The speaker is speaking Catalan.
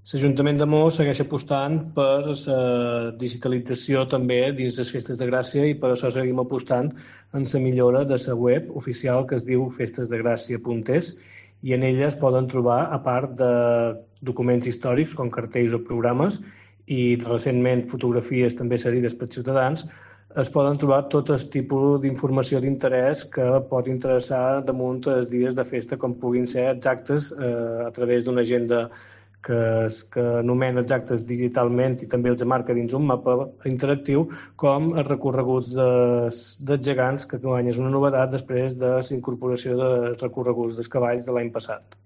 L'Ajuntament de Mos segueix apostant per la digitalització també dins les Festes de Gràcia i per això seguim apostant en la millora de la web oficial que es diu festesdegràcia.es i en ella es poden trobar, a part de documents històrics com cartells o programes i recentment fotografies també cedides per ciutadans, es poden trobar tot el tipus d'informació d'interès que pot interessar damunt els dies de festa, com puguin ser exactes a través d'una agenda que anomena exactes digitalment i també els marca dins un mapa interactiu, com els recorreguts dels gegants, que guany és una novetat després de la incorporació dels recorreguts dels cavalls de l'any passat.